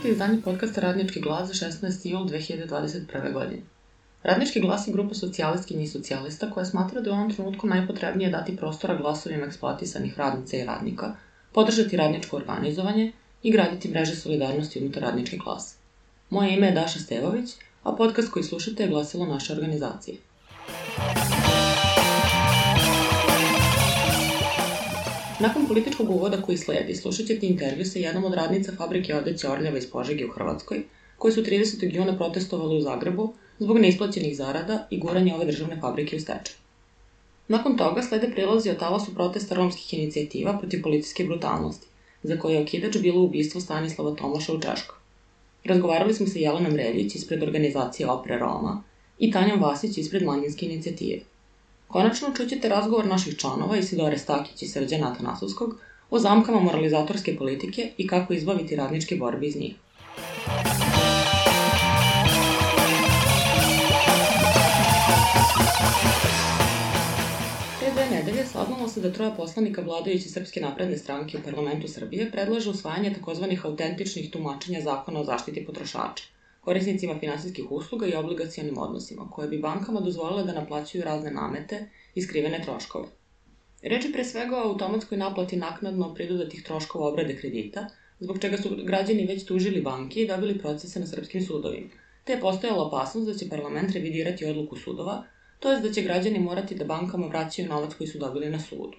Dobrodošli u izdanje podcasta Radnički glas za 16. jul 2021. godine. Radnički glas je grupa socijalistkinja i socijalista koja smatra da je u ovom trenutku najpotrebnije dati prostora glasovima eksploatisanih radnica i radnika, podržati radničko organizovanje i graditi mreže solidarnosti unutar radničke klase. Moje ime je Daša Stevović, a podcast koji slušate je glasilo naše organizacije. Nakon političkog uvoda koji sledi, slušat ćete intervju sa jednom od radnica fabrike odeće Orljava iz Požege u Hrvatskoj, koji su 30. juna protestovali u Zagrebu zbog neisplaćenih zarada i guranja ove državne fabrike u stečaj. Nakon toga slede prilozi o talasu protesta romskih inicijativa protiv policijske brutalnosti, za koje je okidač bilo ubistvo Stanislava Tomaša u Češkoj. Razgovarali smo sa Jelenom Reljić ispred organizacije Opre Roma i Tanjom Vasić ispred manjinske inicijative. Konačno čućete razgovor naših članova Isidore Stakić i Srđana Atanasovskog o zamkama moralizatorske politike i kako izbaviti radničke borbe iz njih. Pre 2 nedelje saznalo se da 3 poslanika vladajuće Srpske napredne stranke u parlamentu Srbije predlaže usvajanje takozvanih autentičnih tumačenja zakona o zaštiti potrošača, korisnicima finansijskih usluga i obligacionim odnosima, koje bi bankama dozvolile da naplaćuju razne namete i skrivene troškove. Reč je pre svega o automatskoj naplati naknadno pridodatih troškova obrade kredita, zbog čega su građani već tužili banke i dobili procese na srpskim sudovima, te je postojala opasnost da će parlament revidirati odluku sudova, to jest da će građani morati da bankama vraćaju novac koji su dobili na sudu.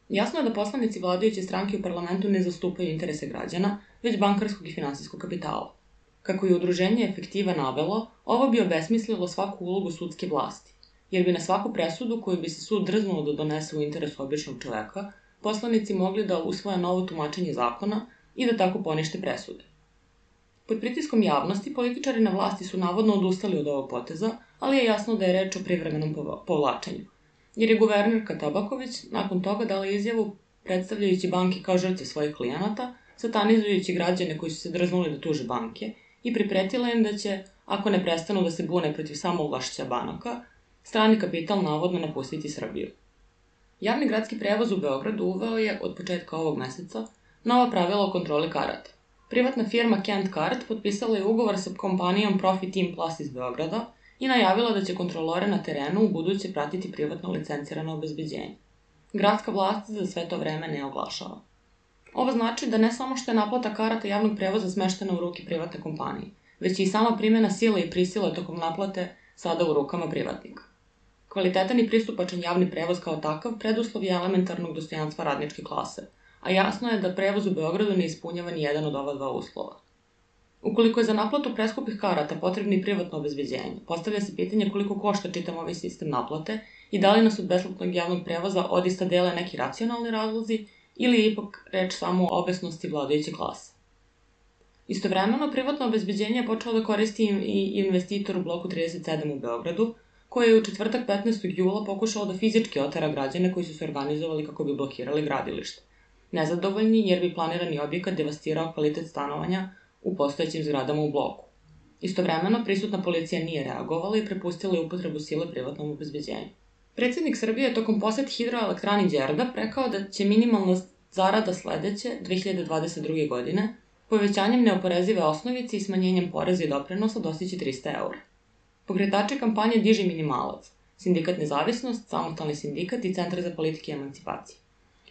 Jasno je da poslanici vladajuće stranke u parlamentu ne zastupaju interese građana, već bankarskog i finansijskog kapitala. Kako je udruženje Efektiva navelo, ovo bi obesmislilo svaku ulogu sudske vlasti, jer bi na svaku presudu koju bi se sud drznuo da donese u interesu običnog čoveka, poslanici mogli da usvoje novo tumačenje zakona i da tako ponište presude. Pod pritiskom javnosti, političari na vlasti su navodno odustali od ovog poteza, ali je jasno da je reč o privremenom povlačenju, jer je guvernerka Tabaković nakon toga dala izjavu predstavljajući banke kao žrtve svojih klijenata, satanizujući građane koji su se drznuli da tuže banke i pripretila im da će, ako ne prestanu da se bune protiv samovlašća banaka, strani kapital navodno napustiti Srbiju. Javni gradski prevoz u Beogradu uveo je od početka ovog meseca nova pravila o kontroli karata. Privatna firma Kent Kart potpisala je ugovor sa kompanijom Profit Team Plus iz Beograda i najavila da će kontrolore na terenu u buduće pratiti privatno licencirano obezbeđenje. Gradska vlast za sve to vreme ne oglašava. Ovo znači da ne samo što je naplata karata javnog prevoza smeštena u ruke privatne kompanije, već i sama primjena sile i prisile tokom naplate sada u rukama privatnika. Kvalitetan i pristupačan javni prevoz kao takav preduslov je elementarnog dostojanstva radničke klase, a jasno je da prevoz u Beogradu ne ispunjava ni jedan od ova 2 uslova. Ukoliko je za naplatu preskupih karata potrebno i privatno obezbeđenje, postavlja se pitanje koliko košta čitav ovaj sistem naplate i da li nas od besplatnog javnog prevoza odista dele neki racionalni razlozi ili je ipak reč samo o obesnosti vladajuće klase. Istovremeno, privatno obezbeđenje je počelo da koristi i investitor u bloku 37 u Beogradu, koji je u četvrtak 15. jula pokušao da fizički otera građane koji su se organizovali kako bi blokirali gradilište. Nezadovoljni jer bi planirani objekat devastirao kvalitet stanovanja u postojećim zgradama u bloku. Istovremeno, prisutna policija nije reagovala i prepustila je upotrebu sile privatnom obezbeđenju. Predsjednik Srbije je tokom posete hidroelektrani Đerdap rekao da će minimalna zarada sledeće, 2022. godine, povećanjem neoporezive osnovice i smanjenjem poreza i doprinosa dostići 300 eura. Pokretači kampanje Diži minimalac, Sindikat Nezavisnost, Samostalni sindikat i Centar za politike i emancipacije.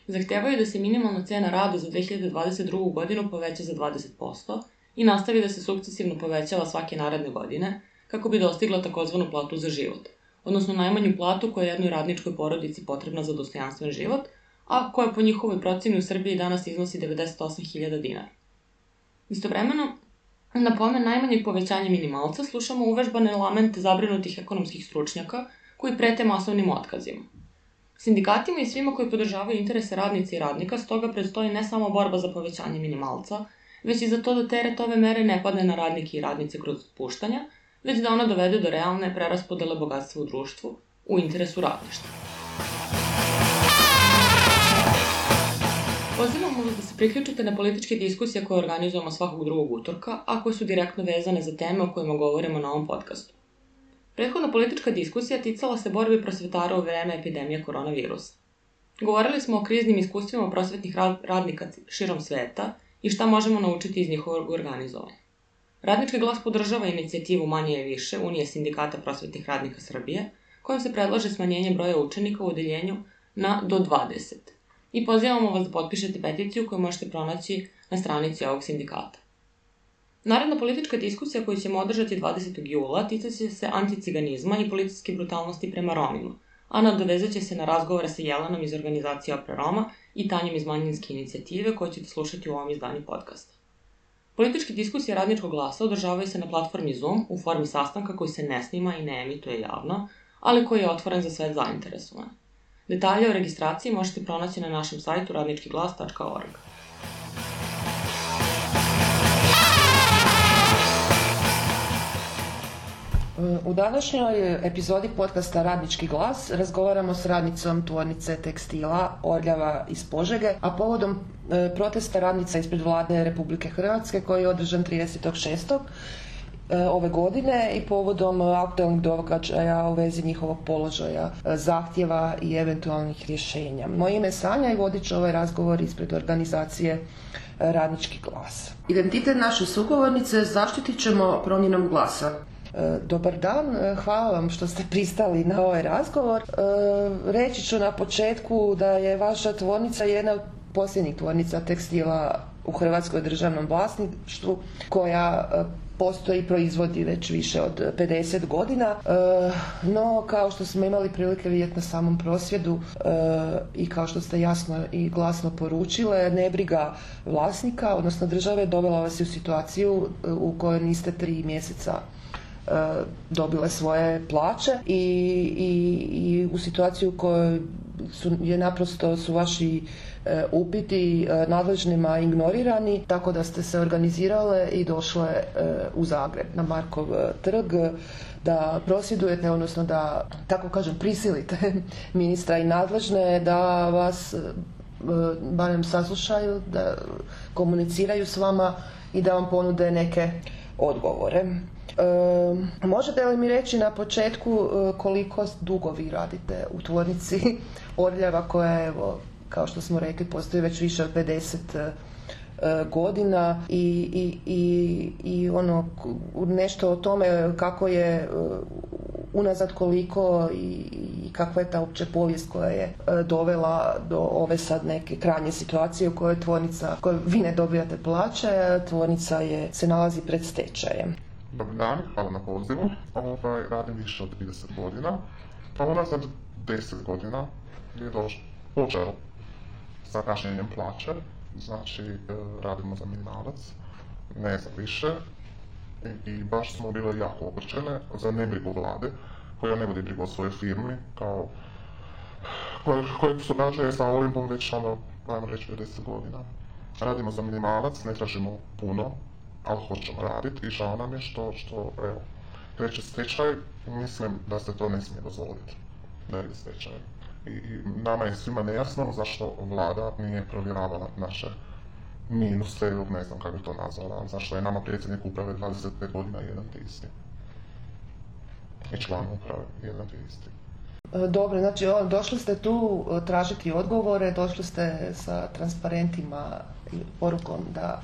Zahtevaju da se minimalna cena rada za 2022. godinu poveća za 20% i nastavi da se sukcesivno povećava svake naredne godine kako bi dostigla takozvanu platu za život, odnosno najmanju platu koja je jednoj radničkoj porodici potrebna za dostojanstven život, a koja po njihovoj proceni u Srbiji danas iznosi 98.000 dinara. Istovremeno, na pomen najmanjeg povećanja minimalca slušamo uvežbane lamente zabrinutih ekonomskih stručnjaka koji prete masovnim otkazima. Sindikatima i svima koji podržavaju interese radnice i radnika stoga predstoji ne samo borba za povećanje minimalca, već i za to da teret ove mere ne padne na radnike i radnice kroz otpuštanja, već da ona dovede do realne preraspodele bogatstva u društvu u interesu radništva. Pozivamo vas da se priključite na političke diskusije koje organizujemo svakog drugog utorka, a koje su direktno vezane za teme o kojima govorimo na ovom podcastu. Prethodna politička diskusija ticala se borbe prosvetara u vreme epidemije koronavirusa. Govorili smo o kriznim iskustvima prosvetnih radnika širom sveta i šta možemo naučiti iz njihovog organizovanja. Radnički glas podržava inicijativu Manje je više Unije sindikata prosvetnih radnika Srbije, kojom se predlaže smanjenje broja učenika u odeljenju na do 20. I pozivamo vas da potpišete peticiju koju možete pronaći na stranici ovog sindikata. Naredna politička diskusija koju ćemo održati 20. jula tiče se anticiganizma i policijske brutalnosti prema Romima, a nadovezat će se na razgovore sa Jelenom iz organizacije Opre Roma i Tanjom iz manjinske inicijative koje ćete slušati u ovom izdanju podcasta. Političke diskusije Radničkog glasa održavaju se na platformi Zoom u formi sastanka koji se ne snima i ne emituje javno, ali koji je otvoren za sve zainteresovane. Detalje o registraciji možete pronaći na našem sajtu radničkiglas.org. U današnjoj epizodi podcasta Radnički glas razgovaramo s radnicom tvornice tekstila Orljava iz Požege, a povodom protesta radnica ispred Vlade Republike Hrvatske koji je održan 30.6. ove godine i povodom aktualnih događaja u vezi njihovog položaja, zahtjeva i eventualnih rješenja. Moje ime je Sanja i vodit ću ovaj razgovor ispred organizacije Radnički glas. Identitet naše sugovornice zaštitit ćemo promjenom glasa. Dobar dan, hvala vam što ste pristali na ovaj razgovor. Reći ću na početku da je vaša tvornica jedna od posljednjih tvornica tekstila u Hrvatskoj državnom vlasništvu koja postoji i proizvodi već više od 50 godina, no kao što smo imali prilike vidjeti na samom prosvjedu i kao što ste jasno i glasno poručile, nebriga vlasnika, odnosno države, dovela vas u situaciju u kojoj niste 3 mjeseca dobile svoje plaće i u situaciju u kojoj su vaši upiti nadležnima ignorirani, tako da ste se organizirale i došle u Zagreb na Markov trg da prosvjedujete, odnosno da, tako kažem, prisilite ministra i nadležne da vas barem saslušaju, da komuniciraju s vama i da vam ponude neke odgovore. Možete li mi reći na početku koliko dugo vi radite u tvornici Orljava koja, evo, kao što smo rekli, postoji već više od 50 godina i ono, nešto o tome kako je unazad koliko i kakva je ta uopće povijest koja je dovela do ove sad neke krajnje situacije u kojoj tvornica, kojoj vi ne dobijate plaće, tvornica se nalazi pred stečajem. Dobar dan, hvala na pozivu. Radim više od 30 godina. Unazad 10 godina je počeo sa kašnjenjem plaće. Znači, radimo za minimalac, ne za više. I baš smo bile jako ogorčene za nebrigu vlade, koja ne vodi brigu o svojoj firmi, koje su dakle sa Olimpom već ajmo reći 50 godina. Radimo za minimalac, ne tražimo puno, ali hoćemo raditi i žao nam je što evo, kreće stečaj. Mislim da se to ne smije dozvoliti, da je stečaj. I nama je svima nejasno zašto vlada nije provjeravala naše minuse, ili ne znam kako bi to nazvala, zašto je nama predsjednik uprave 25 godina jedan te isti. I član uprave jedan te isti. Dobro, znači došli ste tu tražiti odgovore, došli ste sa transparentima i porukom da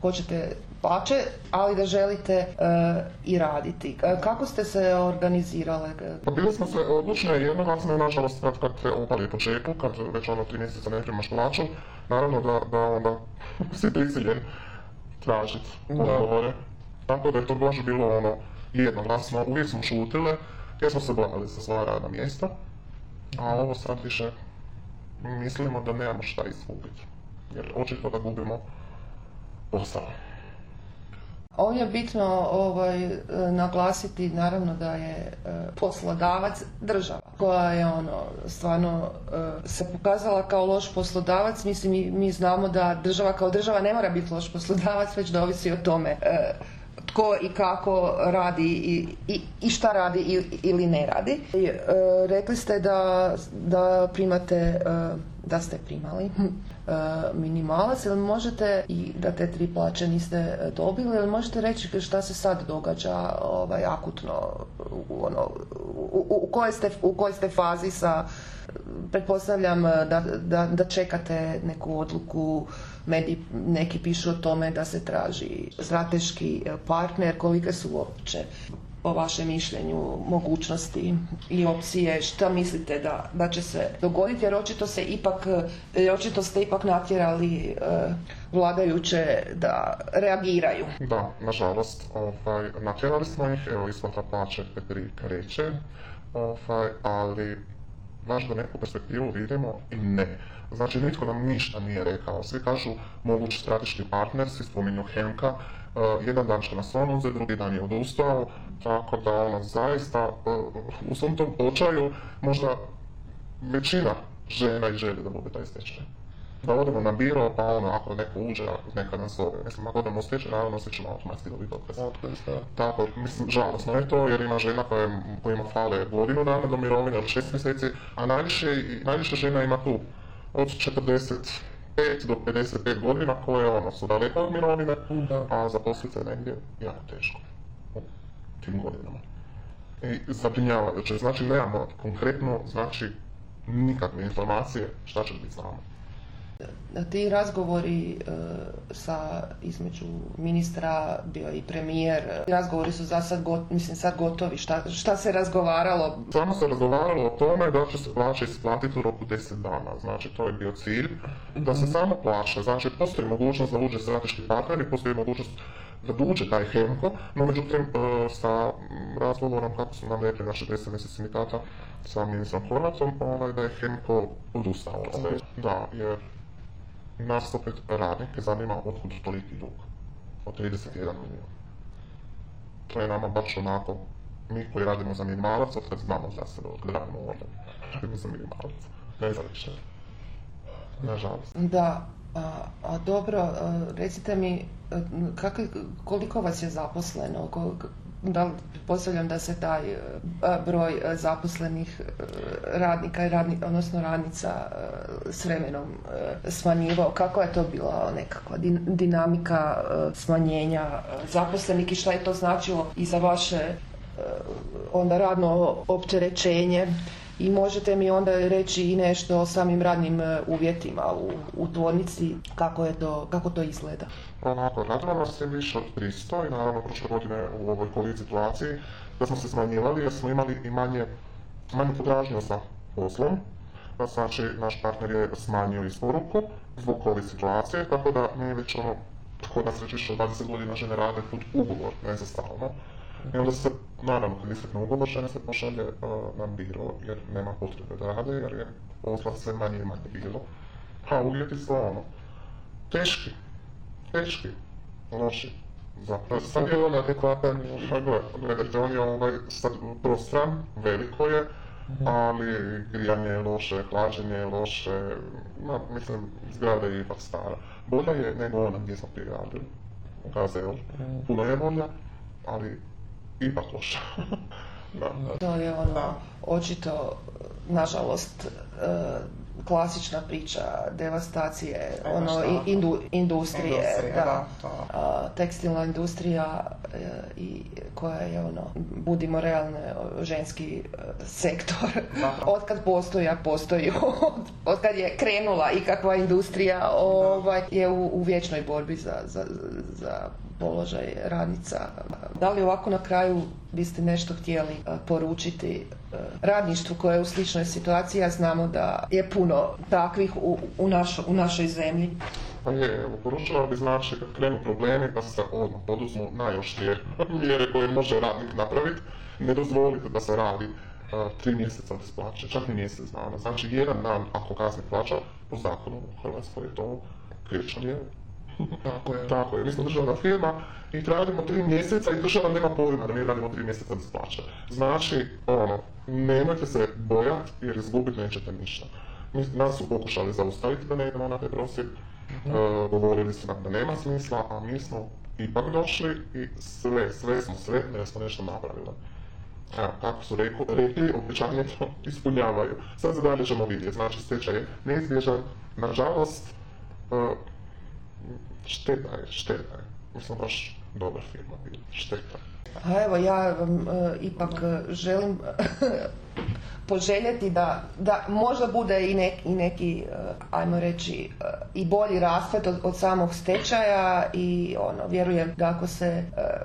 hoćete plaće, ali da želite i raditi. Kako ste se organizirale? Pa bili smo se odlučne i jednoglasne, nažalost kad te opali po čepu, kad već 3 mjeseca ne primaš plaću, naravno da onda si prisiljen tražiti odgovore. Tako da je to baš bilo jednoglasno, uvijek smo šutile jer smo se bojali za svoja radna mjesta, a ovo sad više mislimo da nemamo šta izgubiti, jer očito da gubimo posao. Ovdje je bitno naglasiti naravno da je poslodavac država koja je stvarno se pokazala kao loš poslodavac. Mislim, mi znamo da država kao država ne mora biti loš poslodavac, već da ovisi o tome tko i kako radi i šta radi ili ne radi. Rekli ste da primate, da ste primali minimalac, ili možete, i da te 3 plaće niste dobili, ili možete reći šta se sad događa akutno, u kojoj ste fazi sa pretpostavljam da čekate neku odluku, mediji neki pišu o tome da se traži strateški partner, kolike su uopće po vašem mišljenju mogućnosti i opcije, šta mislite da će se dogoditi, jer očito ste ipak natjerali vladajuće da reagiraju. Da, nažalost, natjerali smo ih, evo isplata plaće kreće, ali baš da neku perspektivu vidimo i ne. Znači, nitko nam ništa nije rekao. Svi kažu mogući strateški partner, svi spominju Henka, jedan dan će nas on uzeti, drugi dan je odustao, tako da zaista u svom tom očaju možda većina žena i želi da bude taj stečaj. Da odemo na biro, pa ako neko uđe, neka nas zove. Mislim, ako odemo u stečaj, naravno svi ćemo automatski dobiti otkaz. Tako, mislim, žalosno je to, jer ima žena kojima fale godinu dana do mirovine, od 6 mjeseci, a najviše žena ima tu od 45 do 55 godina koje su daleko od mirovine, a zaposliti se negdje jako teško u tim godinama. I zabrinjavajuće, znači nemamo konkretno, znači nikakve informacije šta će biti s nama. Ti razgovori između ministra, bio i premijer, razgovori su za sad gotovi, šta se razgovaralo? Samo se razgovaralo o tome da će se plaća isplatiti u roku 10 dana, znači to je bio cilj, da se samo plaća, znači postoji mogućnost da uđe strateški partner i postoji mogućnost da uđe taj Henko, no međutim sa razgovorom, kako su nam rekli naši predstavnici sindikata sa ministrom Horvatom, da je Henko odustao. Da, jer nas opet radnike zanima otkud toliki dug, od 31 milijuna. To je nama baš onako, mi koji radimo za minimalac, od kad znamo za sebe, od kad radimo ovdje, radimo za minimalac, ne za više, nažalost. Da, a dobro, recite mi, koliko vas je zaposleno? Pretpostavljam da se taj broj zaposlenih radnika odnosno radnica s vremenom smanjivao. Kako je to bila nekakva dinamika smanjenja zaposlenih i šta je to značilo i za vaše onda radno opterećenje? I možete mi onda reći i nešto o samim radnim uvjetima u tvornici, kako to izgleda? Radilo nas je više od 300 i naravno prošle godine u ovoj covid situaciji da smo se smanjivali jer smo imali i manje potražnju za poslom. Znači, naš partner je smanjio isporuku zbog covid situacije, tako da mi već kod nas već više od 20 godina žene rade pod ugovor, ne za stalno. I onda se, naravno, kad istekne ugovor, žene se pošalje na biro jer nema potrebe da rade, jer je posla sve manje i manje bilo. A uvjeti su teški, loši. Zapravo, sad je on adekvatan, gledajte, on je sad prostran, veliko je, ali grijanje je loše, hlađenje je loše, mislim, zgrada je ipak stara. Bolja je nego ona gdje smo prije radili, u KZ-u. Puno je bolja, ali ipak loša. To je očito, nažalost, klasična priča devastacije, industrije, tekstilna industrija i koja je budimo realne, ženski sektor. Otkad postoji, otkad je krenula ikakva industrija, je u vječnoj borbi za položaj radnica. Da li ovako na kraju biste nešto htjeli poručiti radništvu koje je u sličnoj situaciji, a znamo da je puno takvih u našoj zemlji? Pa poručila bi, znači, kad krenu problemi da se odmah poduzmu najoštrije mjere koje može radnik napraviti. Ne dozvolite da se radi 3 mjeseca bez plaće, čak i mjesec dana. Znači, jedan dan ako kasni plaća, po zakonu u Hrvatskoj je to krivično. Tako je, mi smo državna firma i radimo 3 mjeseca i država nema pojma da mi radimo 3 mjeseca bez plaće. Znači, nemojte se bojati jer izgubiti nećete ništa. Nas su pokušali zaustaviti da ne idemo na taj prosvjed, govorili su nam da nema smisla, a mi smo ipak došli i sve smo sretni jer smo nešto napravili. Evo, kako su rekli, obećanje to ispunjavaju. Sad za dalje ćemo vidjeti, znači stečaj je neizbježan, nažalost, šteta je. Mislim, baš dobra firma bila, šteta. A evo, ja vam ipak želim poželjeti da možda bude i neki, ajmo reći, i bolji rasplet od samog stečaja i vjerujem da ako se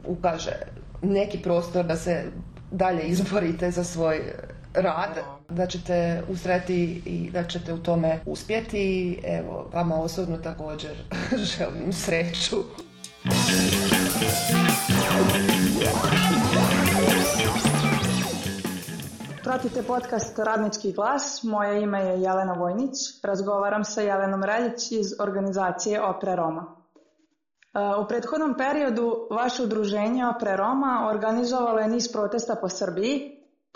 ukaže neki prostor da se dalje izborite za svoj rad, da ćete ustrajati i da ćete u tome uspjeti. Evo, vama osobno također želim sreću. Pratite podcast Radnički glas, moje ime je Jelena Vojnić, razgovaram sa Jelenom Reljić iz organizacije Opre Roma. U prethodnom periodu vaše udruženje Opre Roma organizovalo je niz protesta po Srbiji,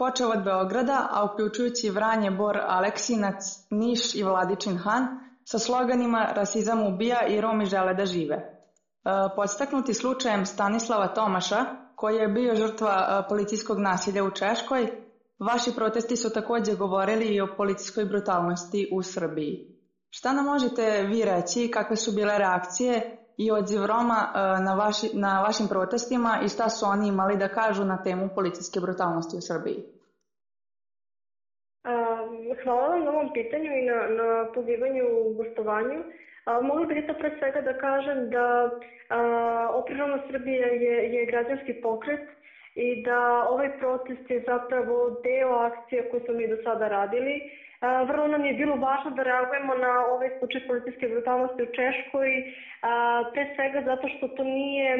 počeo od Beograda, a uključujući Vranje, Bor, Aleksinac, Niš i Vladičin Han, sa sloganima rasizam ubija i Romi žele da žive. Podstaknuti slučajem Stanislava Tomaša, koji je bio žrtva policijskog nasilja u Češkoj, vaši protesti su također govorili i o policijskoj brutalnosti u Srbiji. Šta nam možete vi reći, kakve su bile reakcije i odziv Roma na vašim protestima i šta su oni imali da kažu na temu policijske brutalnosti u Srbiji? Hvala vam na ovom pitanju i na pozivanju u gostovanju. Mogla bih to pre svega da kažem da Opre Roma Srbije je građanski pokret i da ovaj protest je zapravo deo akcije koje smo mi do sada radili. Vrlo nam je bilo važno da reagujemo na ovaj slučaj policijske brutalnosti u Češkoj, pre svega zato što to nije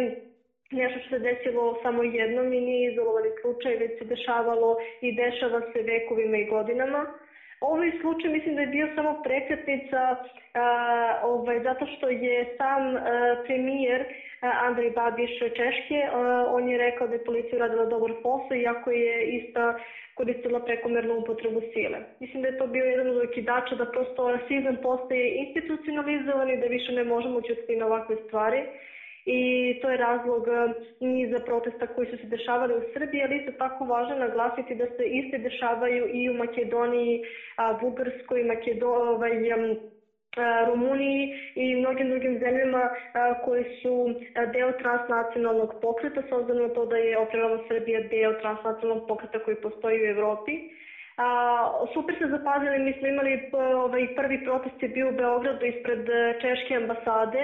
nešto što se desilo samo jednom i nije izolovani slučaj, već se dešavalo i dešava se vekovima i godinama. Ovaj slučaj mislim da je bio samo prekretnica zato što je sam premijer Andrej Babiš Češke, on je rekao da je policija uradila dobar posao iako je ista koristila prekomernu upotrebu sile. Mislim da je to bio jedan od okidača da prosto rasizam postaje institucionalizovan i da više ne možemo ćutiti na ovakve stvari. I to je razlog niza protesta koji su se dešavali u Srbiji, ali isto tako važno naglasiti da se iste dešavaju i u Makedoniji, Bugarskoj, Rumuniji i mnogim drugim zemljama koji su deo transnacionalnog pokreta, s obzirom na to da je Opre Roma Srbija deo transnacionalnog pokreta koji postoji u Evropi. Super se zapazili, mi smo imali prvi protest je bio u Beogradu ispred češke ambasade.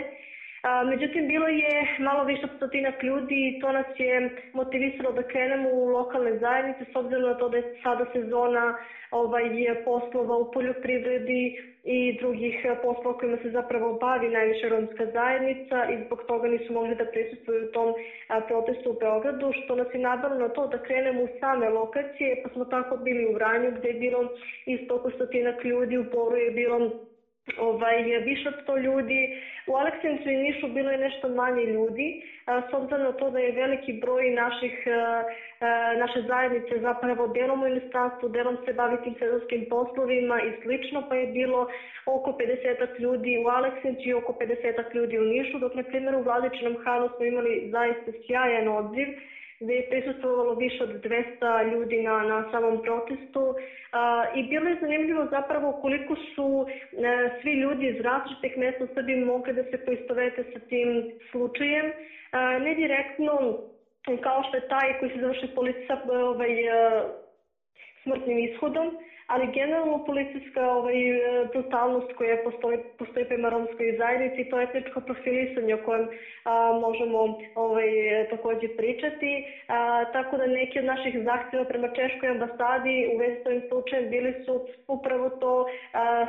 Međutim, bilo je malo više od 100 ljudi i to nas je motivisalo da krenemo u lokalne zajednice, s obzirom na to da je sada sezona poslova u poljoprivredi i drugih poslova kojima se zapravo bavi najviše romska zajednica i zbog toga nisu mogli da prisustvuju u tom protestu u Beogradu, što nas je navelo na to da krenemo u same lokacije, pa smo tako bili u Vranju gde je bilo isto oko 100 ljudi, u Boru je bilo više od 100 ljudi. U Aleksincu i Nišu bilo je nešto manje ljudi, s obzirom na to da je veliki broj naše zajednice zapravo delom u inostranstvu, delom se bavi tim sezonskim poslovima i slično, pa je bilo oko 50 ljudi u Aleksincu i oko 50 ljudi u Nišu, dok na primjer u Vladičinom Hanu smo imali zaista sjajan odziv, gde je prisustvovalo više od 200 ljudi na samom protestu i bilo je zanimljivo zapravo koliko su svi ljudi iz različitih mesta u Srbiji mogli da se poistovete sa tim slučajem. Ne direktno kao što je taj koji se završi policija smrtnim ishodom, ali generalno policijska brutalnost koja postoji prema romskoj zajednici, to je etničko profilisanje o kojem možemo također pričati. Tako da neki od naših zahtjeva prema Češkoj ambasadi u vezi s ovim slučajem bili su upravo to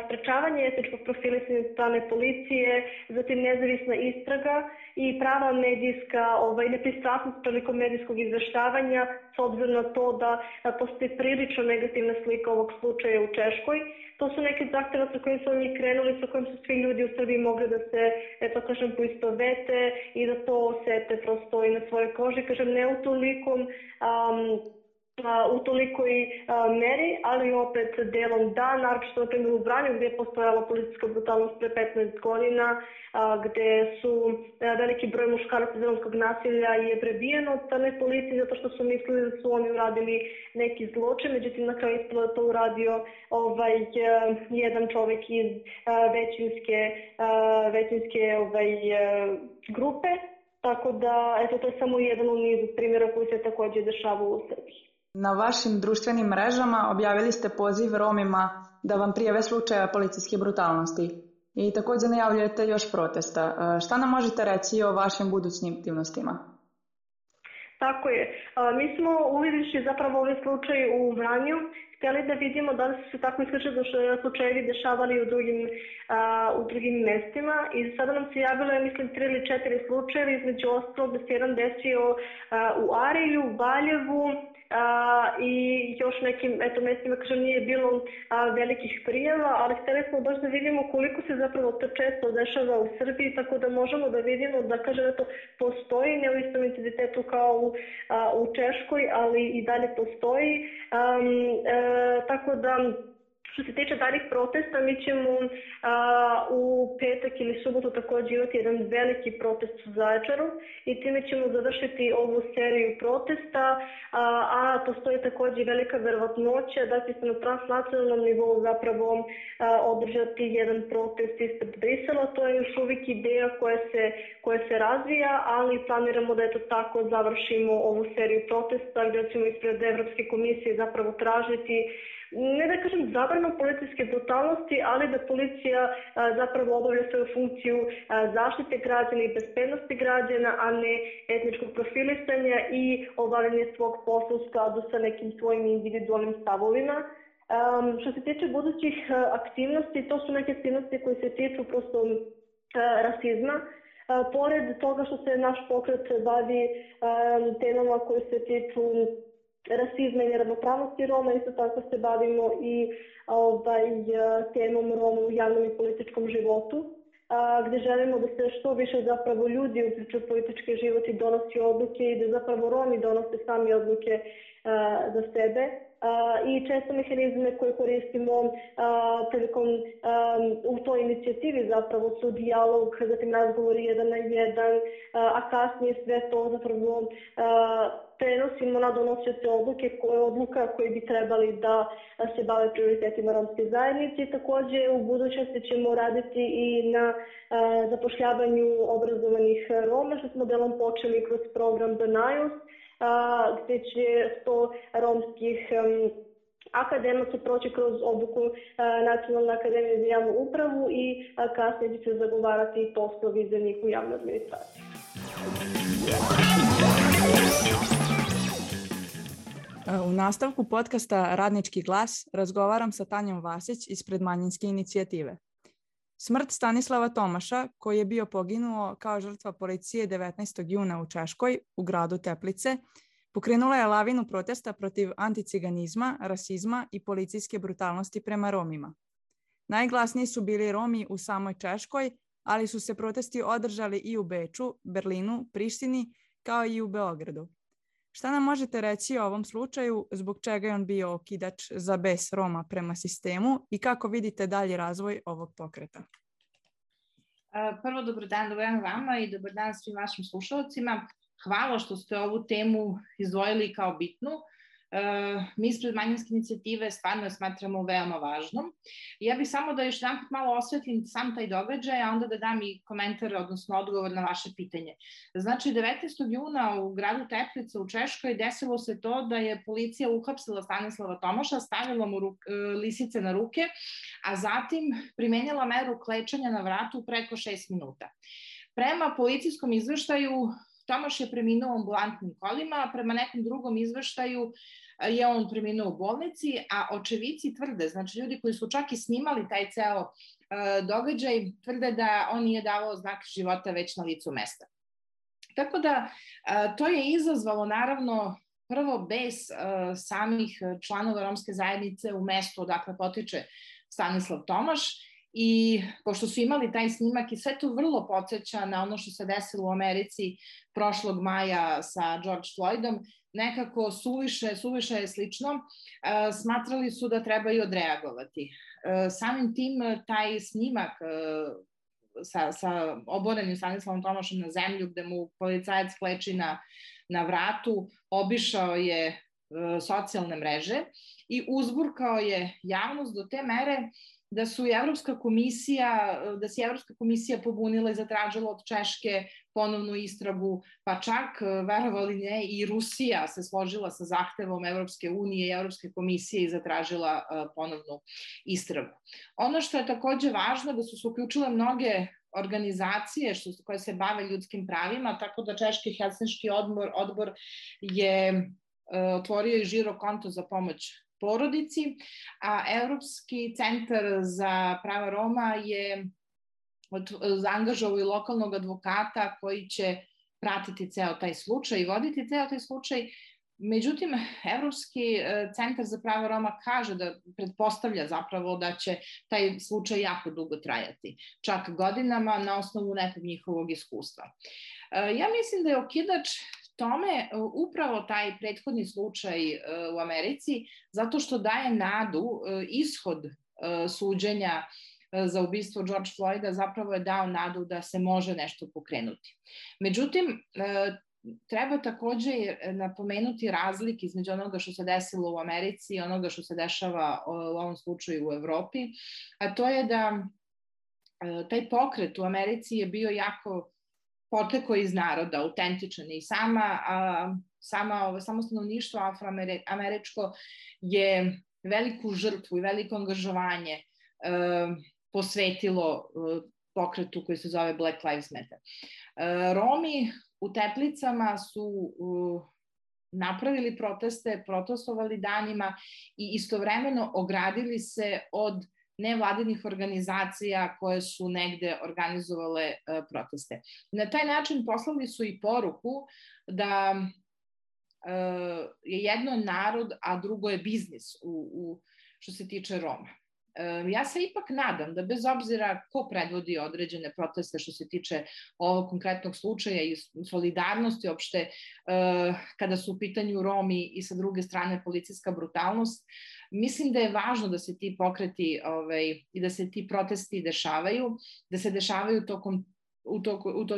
sprečavanje etničkog profilisanja od strane policije, zatim nezavisna istraga i prava medijska nepristrasnost prilikom medijskog izveštavanja, s obzirom na to da postoji prilično negativna slika ovog slučaja u Češkoj. To su neke zahtjeva sa kojim smo mi krenuli, sa kojim su svi ljudi u Srbiji mogli da se, poistovete i da to osete prosto i na svojoj koži. Kažem, ne u tolikoj meri, ali opet delom da, naročito na primjer u Vranju gdje je postojala policijska brutalnost pre 15 godina, gde su veliki broj muškaraca iz romskog nasilja je prebijeno od strane policije zato što su mislili da su oni uradili neki zločin, međutim na kraju ispalo da to uradio jedan čovjek iz većinske grupe, tako da to je samo jedan u nizu primjera koji se također dešavaju u Srbiji. Na vašim društvenim mrežama objavili ste poziv Romima da vam prijave slučaja policijske brutalnosti i također najavljujete još protesta. Šta nam možete reći o vašim budućim aktivnostima? Tako je. Mi smo uvidjevši zapravo ovaj slučaj u Vranju, htjeli da vidimo da li su se tako slični slučajevi dešavali u drugim mestima i sada nam se javilo, ja mislim, 3 ili 4 slučajeva, između ostalog da se jedan desio u Arilju, u Valjevu, i još nekim mestima, kažem, nije bilo velikih prijava, ali htjeli smo baš da vidimo koliko se zapravo to često dešava u Srbiji, tako da možemo da vidimo da, kažem, to postoji, ne u istom intenzitetu kao u Češkoj, ali i dalje postoji. Tako da, što se tiče daljih protesta, mi ćemo u petak ili subotu također imati jedan veliki protest u Zaječaru i time ćemo završiti ovu seriju protesta, a postoji također velika verovatnoća da će se na transnacionalnom nivou zapravo održati jedan protest ispred Brisela. To je još uvijek ideja koja se razvija, ali planiramo da tako završimo ovu seriju protesta gdje ćemo ispred Evropske komisije zapravo tražiti, ne da kažem zabranu policijske brutalnosti, ali da policija zapravo obavlja svoju funkciju zaštite građana i bezbednosti građana, a ne etničkog profilisanja i obavljanje svog posla u skladu sa nekim svojim individualnim stavovima. Što se tiče budućih aktivnosti, to su neke aktivnosti koje se tiču prosto rasizma. Pored toga što se naš pokret bavi temama koje se tiču rasizma i neravnopravnosti Roma, isto tako se bavimo i temom Roma u javnom i političkom životu, gdje želimo da se što više zapravo ljudi uključuju u politički život i donosi odluke i da zapravo Romi donose sami odluke za sebe. I često mehanizme koje koristimo prilikom u toj inicijativi zapravo su dijalog, zatim razgovori 1 na 1, a kasnije sve to zapravo prenosimo na donosioce odluka koji bi trebali da se bave prioritetima romske zajednice. Također u budućnosti ćemo raditi i na zapošljavanju obrazovanih Roma, što smo delom počeli kroz program The Niles, gdje će 100 romskih akademaca proći kroz obuku Nacionalne akademije za javnu upravu i kasnije će se zagovarati poslovi za njih u javnoj administraciji. U nastavku podcasta Radnički glas razgovaram sa Tanjom Vasić ispred Manjinske inicijative. Smrt Stanislava Tomaša, koji je bio poginuo kao žrtva policije 19. juna u Češkoj, u gradu Teplice, pokrenula je lavinu protesta protiv anticiganizma, rasizma i policijske brutalnosti prema Romima. Najglasniji su bili Romi u samoj Češkoj, ali su se protesti održali i u Beču, Berlinu, Prištini, kao i u Beogradu. Šta nam možete reći o ovom slučaju, zbog čega je on bio okidač za bes Roma prema sistemu i kako vidite dalji razvoj ovog pokreta? Prvo, dobar dan vama i dobar dan svim vašim slušalcima. Hvala što ste ovu temu izdvojili kao bitnu. Mi ispred Manjinske inicijative stvarno je smatramo veoma važnom. Ja bih samo da još jedanput malo osvetlim sam taj događaj, a onda da dam i komentar, odnosno odgovor na vaše pitanje. Znači, 19. juna u gradu Teplice u Češkoj desilo se to da je policija uhapsila Stanislava Tomaša, stavila mu lisice na ruke, a zatim primenila meru klečanja na vratu preko 6 minuta. Prema policijskom izveštaju, Tomaš je preminuo u ambulantnim kolima, a prema nekom drugom izveštaju je on preminuo u bolnici, a očevici tvrde, znači ljudi koji su čak i snimali taj ceo događaj, tvrde da on nije davao znak života već na licu mesta. Tako da to je izazvalo naravno prvo bes samih članova romske zajednice u mestu odakle potiče Stanislav Tomaš. I pošto su imali taj snimak i sve to vrlo podsjeća na ono što se desilo u Americi prošlog maja sa George Floydom, nekako suviše je slično, smatrali su da trebaju odreagovati. Samim tim taj snimak sa oborenim Stanislavom Tomašem na zemlju, gde mu policajac kleči na vratu, obišao je socijalne mreže i uzburkao je javnost do te mere da se Evropska komisija pobunila i zatražila od Češke ponovnu istragu, pa čak, verovali ne, i Rusija se složila sa zahtevom Evropske unije i Evropske komisije i zatražila ponovnu istragu. Ono što je takođe važno da su se uključile mnoge organizacije koje se bave ljudskim pravima, tako da Češki Helsinški odbor je otvorio i žiro konto za pomoć porodici, a Evropski centar za prava Roma je zaangažovao i lokalnog advokata koji će pratiti ceo taj slučaj i voditi ceo taj slučaj. Međutim, Evropski centar za prava Roma kaže da pretpostavlja zapravo da će taj slučaj jako dugo trajati, čak godinama na osnovu nekog njihovog iskustva. Ja mislim da je okidač tome upravo taj prethodni slučaj u Americi, zato što daje nadu, ishod suđenja za ubistvo George Floyda zapravo je dao nadu da se može nešto pokrenuti. Međutim, treba takođe napomenuti razlike između onoga što se desilo u Americi i onoga što se dešava u ovom slučaju u Evropi, a to je da taj pokret u Americi je bio jako potekao iz naroda, autentičan i samo stanovništvo afroameričko je veliku žrtvu i veliko angažovanje posvetilo pokretu koji se zove Black Lives Matter. Romi u Teplicama su napravili proteste, protestovali danima i istovremeno ogradili se od nevladinih organizacija koje su negde organizovale proteste. Na taj način poslali su i poruku da je jedno narod, a drugo je biznis što se tiče Roma. Ja se ipak nadam da bez obzira ko predvodi određene proteste što se tiče ovog konkretnog slučaja i solidarnosti opšte kada su u pitanju Romi i sa druge strane policijska brutalnost, mislim da je važno da se ti pokreti i da se ti protesti dešavaju, da se dešavaju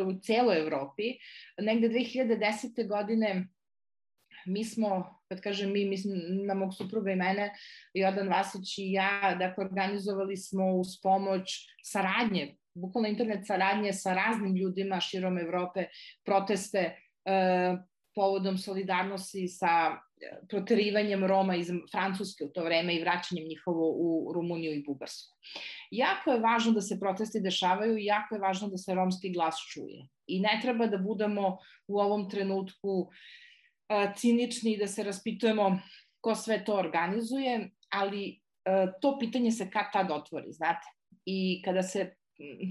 u celoj Evropi. Negde 2010. godine mi smo, kad kažem mi, mislim na mog supruga i mene, Jordan Vasić i ja, dakle, organizovali smo uz pomoć saradnje, bukvalno internet saradnje sa raznim ljudima širom Evrope, proteste povodom solidarnosti sa proterivanjem Roma iz Francuske u to vreme i vraćanjem njihovo u Rumuniju i Bugarsku. Jako je važno da se protesti dešavaju i jako je važno da se romski glas čuje. I ne treba da budemo u ovom trenutku cinični i da se raspitujemo ko sve to organizuje, ali to pitanje se kad tad otvori, znate. I kada se,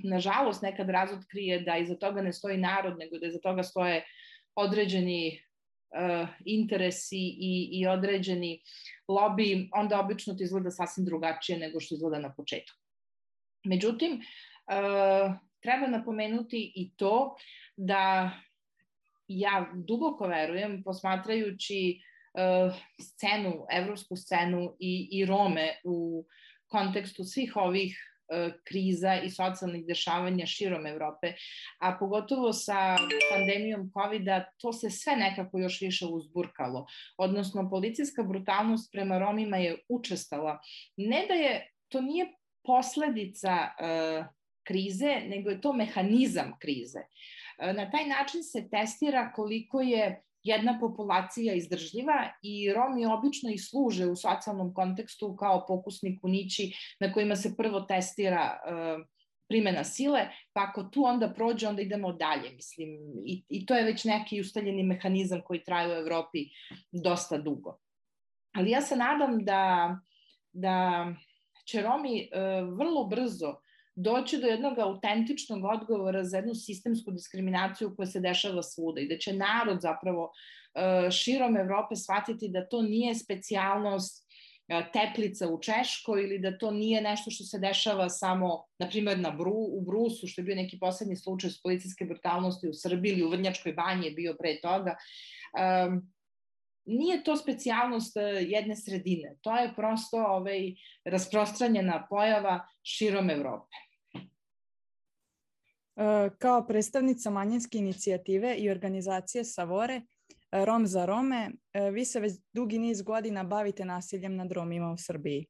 nažalost, nekad razotkrije da iza toga ne stoji narod, nego da iza toga stoje određeni interesi i određeni lobby, onda obično to izgleda sasvim drugačije nego što izgleda na početku. Međutim, treba napomenuti i to da ja duboko verujem, posmatrajući scenu, evropsku scenu i Rome u kontekstu svih ovih kriza i socijalnih dešavanja širom Evrope, a pogotovo sa pandemijom COVID-a, to se sve nekako još više uzburkalo. Odnosno, policijska brutalnost prema Romima je učestala. Ne da je, to nije posledica krize, nego je to mehanizam krize. Na taj način se testira koliko je jedna populacija izdržljiva i Romi obično i služe u socijalnom kontekstu kao pokusni kunići na kojima se prvo testira primena sile, pa ako tu onda prođe, onda idemo dalje, mislim. I to je već neki ustaljeni mehanizam koji traje u Evropi dosta dugo. Ali ja se nadam da će Romi vrlo brzo doći do jednog autentičnog odgovora za jednu sistemsku diskriminaciju koja se dešava svuda i da će narod zapravo širom Evrope shvatiti da to nije specijalnost Teplica u Češkoj ili da to nije nešto što se dešava samo, na primjer, u Brusu, što je bio neki poslednji slučaj s policijske brutalnosti u Srbiji ili u Vrnjačkoj banji je bio pre toga. Nije to specijalnost jedne sredine, to je prosto rasprostranjena pojava širom Evrope. Kao predstavnica manjinske inicijative i organizacije Savore, Rom za Rome, vi se već dugi niz godina bavite nasiljem nad Romima u Srbiji.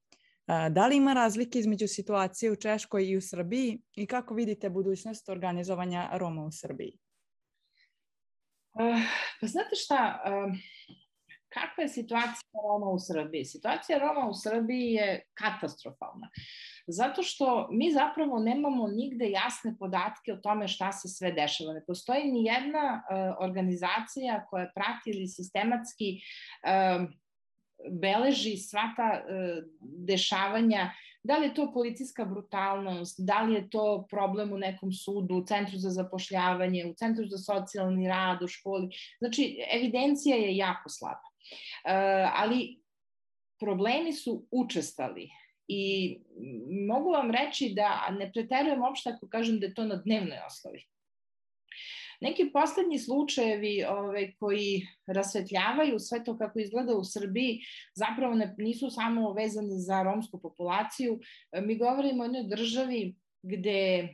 Da li ima razlike između situacije u Češkoj i u Srbiji i kako vidite budućnost organizovanja Roma u Srbiji? Pa znate šta, kakva je situacija Roma u Srbiji? Situacija Roma u Srbiji je katastrofalna. Zato što mi zapravo nemamo nigde jasne podatke o tome šta se sve dešava. Ne postoji ni jedna organizacija koja prati ili sistematski beleži sva ta dešavanja, da li je to policijska brutalnost, da li je to problem u nekom sudu, u centru za zapošljavanje, u centru za socijalni rad, u školi. Znači, evidencija je jako slaba. Ali problemi su učestali i mogu vam reći da ne preterujem uopšte ako kažem da je to na dnevnoj osnovi. Neki poslednji slučajevi koji rasvetljavaju sve to kako izgleda u Srbiji zapravo nisu samo vezani za romsku populaciju. Mi govorimo o jednoj državi gde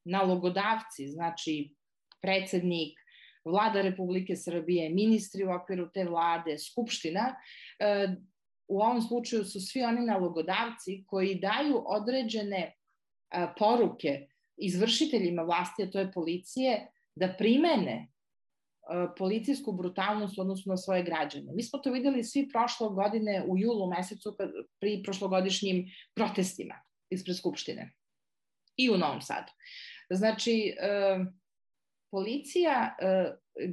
nalogodavci, znači predsednik, Vlada Republike Srbije, ministri u okviru te vlade, Skupština, u ovom slučaju su svi oni nalogodavci koji daju određene poruke izvršiteljima vlasti, a to je policije, da primene policijsku brutalnost odnosno na svoje građane. Mi smo to videli svi prošle godine u julu mesecu pri prošlogodišnjim protestima ispred Skupštine i u Novom Sadu. Znači, policija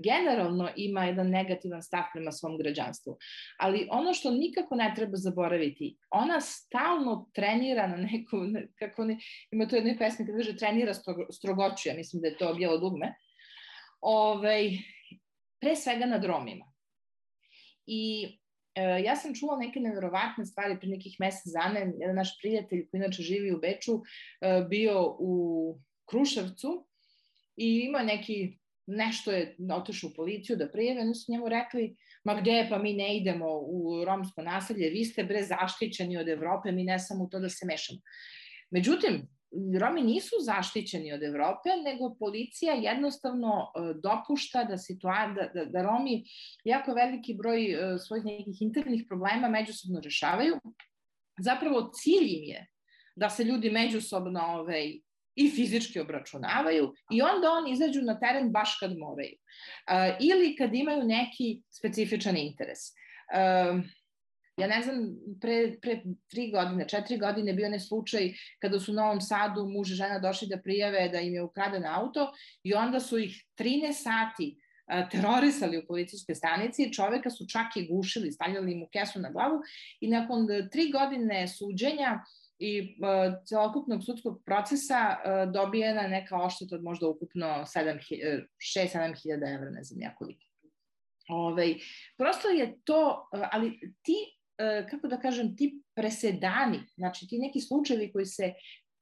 generalno ima jedan negativan stav prema svom građanstvu, ali ono što nikako ne treba zaboraviti, ona stalno trenira na nekom, kako ima to jednoj pesmi kada kaže trenira strogoću, ja mislim da je to Bijelo dugme, pre svega nad Romima. I ja sam čula neke neverovatne stvari pre nekih mesec dana. Jedan naš prijatelj koji inače živi u Beču bio u Kruševcu i ima nešto je otišao u policiju da prijave, oni su njemu rekli, ma gde, pa mi ne idemo u romsko naselje, vi ste bre zaštićeni od Evrope, mi ne samo u to da se mešamo. Međutim, Romi nisu zaštićeni od Evrope, nego policija jednostavno dopušta da Romi jako veliki broj svojih nekih internih problema međusobno rešavaju. Zapravo cilj im je da se ljudi međusobno i fizički obračunavaju i onda oni izađu na teren baš kad moraju. Ili kad imaju neki specifičan interes. Ja ne znam, pre 4 godine bio ne slučaj kada su u Novom Sadu muž i žena došli da prijave da im je ukraden auto i onda su ih 13 sati terorisali u policijskoj stanici, čoveka su čak i gušili, stavljali mu kesu na glavu i nakon 3 godine suđenja i celokupnog sudskog procesa dobijena neka odšteta od možda ukupno 6-7 hiljada evra, ne znam ja koliko. Prosto je to, ali kako da kažem, ti presedani, znači ti neki slučajevi koji se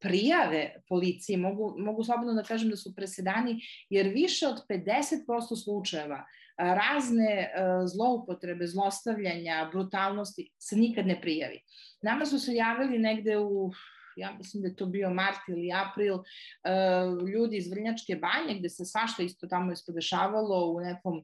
prijave policiji, mogu slobodno da kažem da su presedani, jer više od 50% slučajeva razne zloupotrebe, zlostavljanja, brutalnosti se nikad ne prijavi. Nama su se javili negde ja mislim da je to bio mart ili april, ljudi iz Vrnjačke Banje, gde se svašta isto tamo ispodešavalo u nekom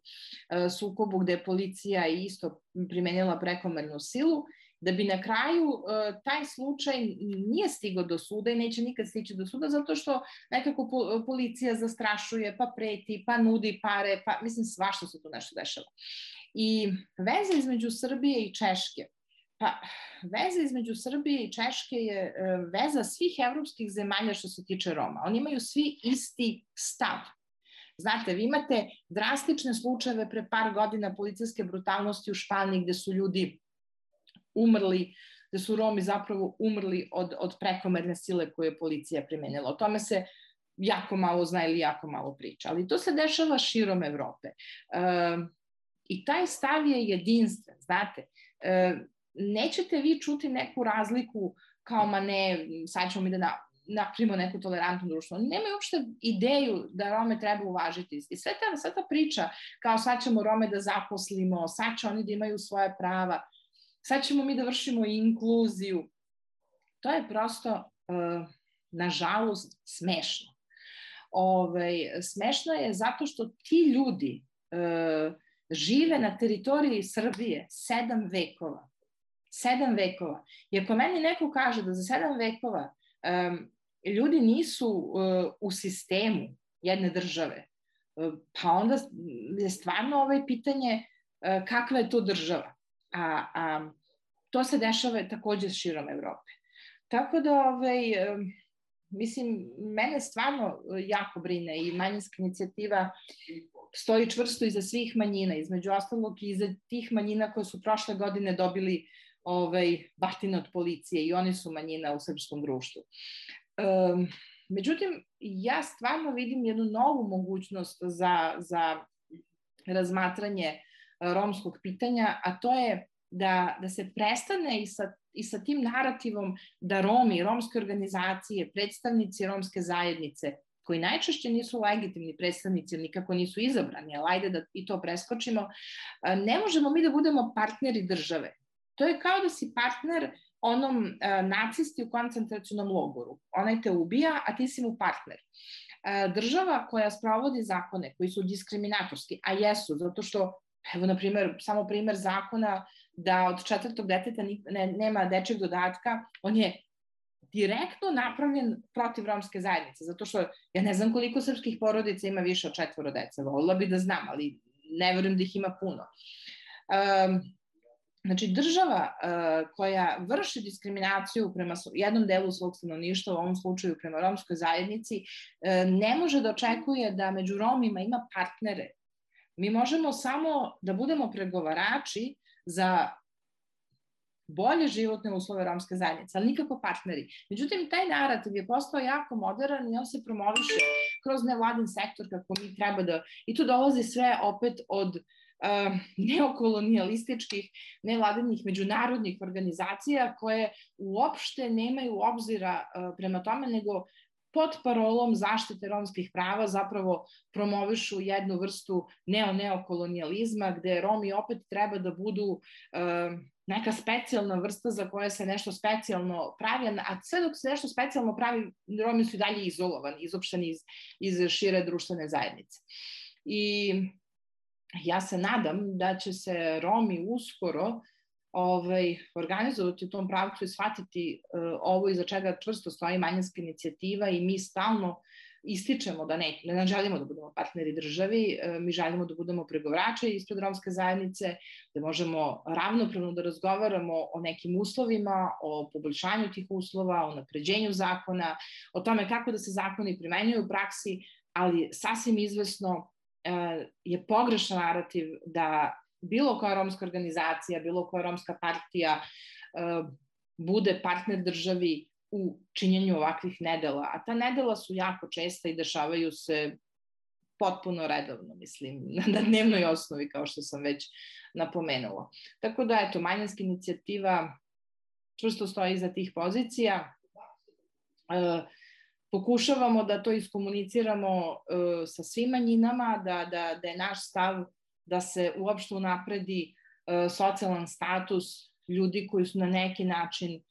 sukobu gde je policija isto primenila prekomernu silu, da bi na kraju taj slučaj nije stigao do suda i neće nikad stići do suda, zato što nekako policija zastrašuje, pa preti, pa nudi pare, pa mislim svašta se tu nešto dešava. I veza između Srbije i Češke, pa veza između Srbije i Češke je veza svih evropskih zemalja što se tiče Roma. Oni imaju svi isti stav. Znate, vi imate drastične slučajeve pre par godina policijske brutalnosti u Španiji gde su ljudi umrli, gde su Romi zapravo umrli od prekomerne sile koju je policija primenila. O tome se jako malo zna ili jako malo priča, ali to se dešava širom Evrope. I taj stav je jedinstven, znate. Nećete vi čuti neku razliku kao, ma ne, sad ćemo mi da napravimo neku tolerantnu društvo. Oni nemaju uopšte ideju da Rome treba uvažiti. I sve ta priča, kao sad ćemo Rome da zaposlimo, sad će oni da imaju svoje prava, sad ćemo mi da vršimo inkluziju. To je prosto, nažalost, smešno. Smešno je zato što ti ljudi žive na teritoriji Srbije 7 vekova. 7 vekova. I ako meni neko kaže da za 7 vekova ljudi nisu u sistemu jedne države, pa onda je stvarno pitanje kakva je to država. A to se dešava takođe širom Evrope. Tako da, mislim, mene stvarno jako brine i manjinska inicijativa stoji čvrsto iza svih manjina, između ostalog i iza tih manjina koje su prošle godine dobili batine od policije i oni su manjina u srpskom društvu. Međutim, ja stvarno vidim jednu novu mogućnost za razmatranje romskog pitanja, a to je da se prestane i sa tim narativom da Romi, romske organizacije, predstavnici romske zajednice, koji najčešće nisu legitimni predstavnici, nikako nisu izabrani, ali ajde da i to preskočimo, ne možemo mi da budemo partneri države. To je kao da si partner onom nacisti u koncentracionom logoru. Onaj te ubija, a ti si mu partner. Država koja sprovodi zakone koji su diskriminatorski, a jesu, zato što, evo, na primjer, samo primer zakona da od 4. deteta nema dečeg dodatka, on je direktno napravljen protiv romske zajednice, zato što ja ne znam koliko srpskih porodica ima više od 4 dece, volila bi da znam, ali ne verujem da ih ima puno. Znači, država koja vrši diskriminaciju prema jednom delu svog stanovništva, u ovom slučaju prema romskoj zajednici, ne može da očekuje da među Romima ima partnere. Mi možemo samo da budemo pregovarači za bolje životne uslove romske zajednice, ali nikako partneri. Međutim, taj narativ je postao jako modern i on se promoviše kroz nevladin sektor kako mi treba da... I tu dolazi sve opet od neokolonijalističkih, nevladinih međunarodnih organizacija koje uopšte nemaju obzira prema tome, nego pod parolom zaštite romskih prava zapravo promovišu jednu vrstu neokolonijalizma gde Romi opet treba da budu neka specijalna vrsta za koje se nešto specijalno pravi, a sve dok se nešto specijalno pravi, Romi su i dalje izolovani, izopšteni iz šire društvene zajednice. I ja se nadam da će se Romi uskoro organizovati u tom pravcu i shvatiti ovo iza čega čvrsto stoji manjinska inicijativa i mi stalno ističemo da ne želimo da budemo partneri državi, mi želimo da budemo pregovarači ispred romske zajednice, da možemo ravnopravno da razgovaramo o nekim uslovima, o poboljšanju tih uslova, o napređenju zakona, o tome kako da se zakoni primenjuju u praksi, ali sasvim izvesno je pogrešan narativ da bilo koja romska organizacija, bilo koja romska partija bude partner državi u činjenju ovakvih nedela. A ta nedela su jako česta i dešavaju se potpuno redovno, mislim, na dnevnoj osnovi, kao što sam već napomenula. Tako da, eto, manjinska inicijativa čvrsto stoji iza tih pozicija. Pokušavamo da to iskomuniciramo sa svim manjinama, da je naš stav da se uopšte unapredi socijalan status ljudi koji su na neki način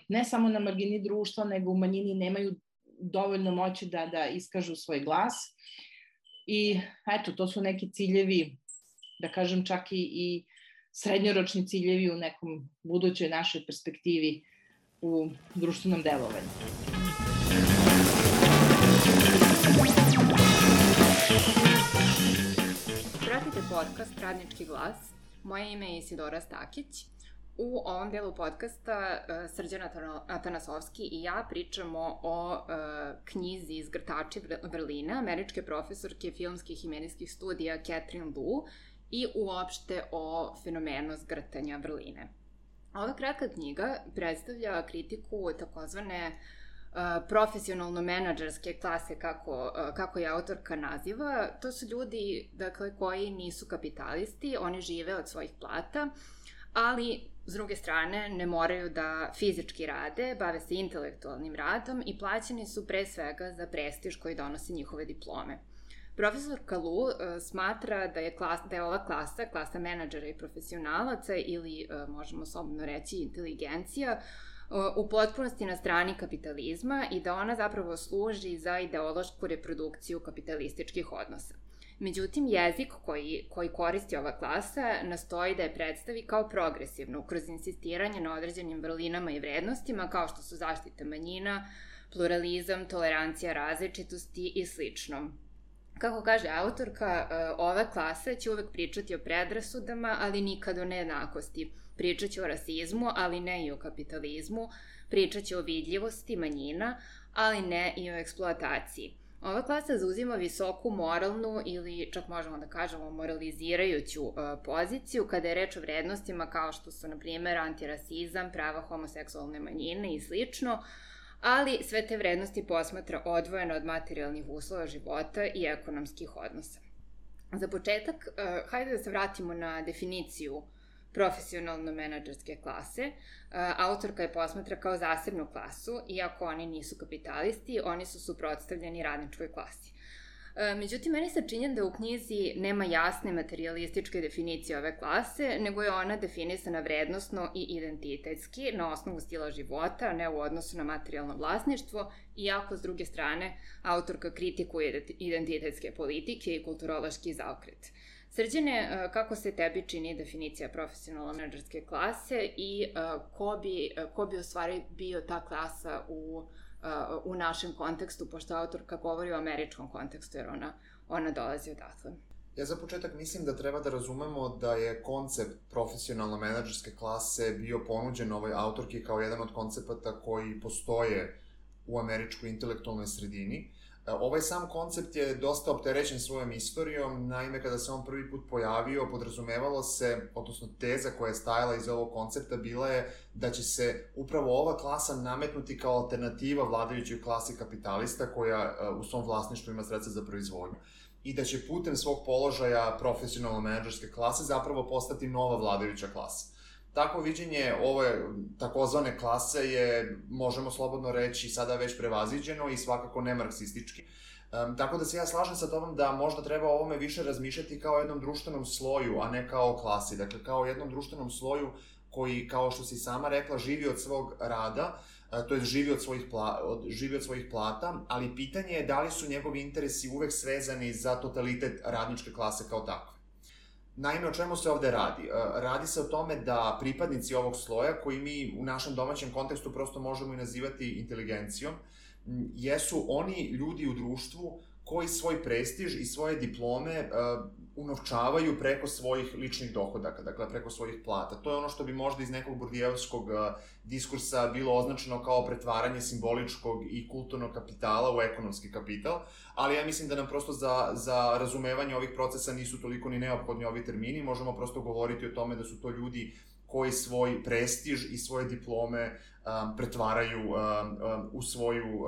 ne samo na margini društva, nego u manjini nemaju dovoljno moći da iskažu svoj glas. I eto, to su neki ciljevi, da kažem čak i srednjoročni ciljevi u nekom budućoj našoj perspektivi u društvenom delovanju. Pratite podcast Radnički glas. Moje ime je Isidora Stakić. U ovom delu podcasta Srđan Atanasovski i ja pričamo o knjizi Zgrtači vrline američke profesorke filmskih i medijskih studija Catherine Liu i uopšte o fenomenu zgrtanja vrline. Ova kratka knjiga predstavlja kritiku takozvane profesionalno-menadžerske klase, kako je autorka naziva. To su ljudi, dakle, koji nisu kapitalisti, oni žive od svojih plata, ali s druge strane ne moraju da fizički rade, bave se intelektualnim radom i plaćeni su pre svega za prestiž koji donose njihove diplome. Profesorka Liu smatra da je ova klasa menadžera i profesionalaca ili, možemo slobodno reći, inteligencija, u potpunosti na strani kapitalizma i da ona zapravo služi za ideološku reprodukciju kapitalističkih odnosa. Međutim, jezik koji koristi ova klasa nastoji da je predstavi kao progresivnu, kroz insistiranje na određenim vrlinama i vrednostima, kao što su zaštita manjina, pluralizam, tolerancija različitosti i slično. Kako kaže autorka, ova klasa će uvek pričati o predrasudama, ali nikad o nejednakosti. Pričat će o rasizmu, ali ne i o kapitalizmu. Pričat će o vidljivosti manjina, ali ne i o eksploataciji. Ova klasa zauzima visoku moralnu ili čak možemo da kažemo moralizirajuću poziciju kada je reč o vrednostima kao što su, na primjer, antirasizam, prava homoseksualne manjine i slično, ali sve te vrednosti posmatra odvojeno od materijalnih uslova života i ekonomskih odnosa. Za početak, hajde da se vratimo na definiciju profesionalno-menadžerske klase. Autorka je posmatra kao zasebnu klasu, iako oni nisu kapitalisti, oni su suprotstavljeni radničkoj klasi. Međutim, meni se čini da u knjizi nema jasne materialističke definicije ove klase, nego je ona definisana vrednosno i identitetski, na osnovu stila života, ne u odnosu na materijalno vlasništvo, iako, s druge strane, autorka kritikuje identitetske politike i kulturološki zaokret. Srđane, kako se tebi čini definicija profesionalno-menadžerske klase i ko bi u stvari bio ta klasa u našem kontekstu, pošto autorka govori o američkom kontekstu, jer ona dolazi odatle? Ja za početak mislim da treba da razumemo da je koncept profesionalno-menadžerske klase bio ponuđen ovoj autorki kao jedan od koncepata koji postoje u američkoj intelektualnoj sredini. Ovaj sam koncept je dosta opterećen svojom istorijom, naime kada se on prvi put pojavio, podrazumevalo se, odnosno teza koja je stajala iz ovog koncepta bila je da će se upravo ova klasa nametnuti kao alternativa vladajućoj klasi kapitalista koja u svom vlasništvu ima sredstva za proizvodnju i da će putem svog položaja profesionalno-menadžerske klase zapravo postati nova vladajuća klasa. Takvo viđenje ove takozvane klase je, možemo slobodno reći, sada već prevaziđeno i svakako ne marksistički. Tako da se ja slažem sa tobom da možda treba o ovome više razmišljati kao jednom društvenom sloju, a ne kao klasi. Dakle, kao jednom društvenom sloju koji, kao što si sama rekla, živi od svog rada, to je živi od svojih plata, ali pitanje je da li su njegovi interesi uvek svezani za totalitet radničke klase kao takve. Naime, o čemu se ovde radi? Radi se o tome da pripadnici ovog sloja, koji mi u našem domaćem kontekstu prosto možemo i nazivati inteligencijom, jesu oni ljudi u društvu koji svoj prestiž i svoje diplome unovčavaju preko svojih ličnih dohodaka, dakle preko svojih plata. To je ono što bi možda iz nekog burdijevskog diskursa bilo označeno kao pretvaranje simboličkog i kulturnog kapitala u ekonomski kapital, ali ja mislim da nam prosto za razumevanje ovih procesa nisu toliko ni neophodni ovi termini, možemo prosto govoriti o tome da su to ljudi koji svoj prestiž i svoje diplome pretvaraju u svoju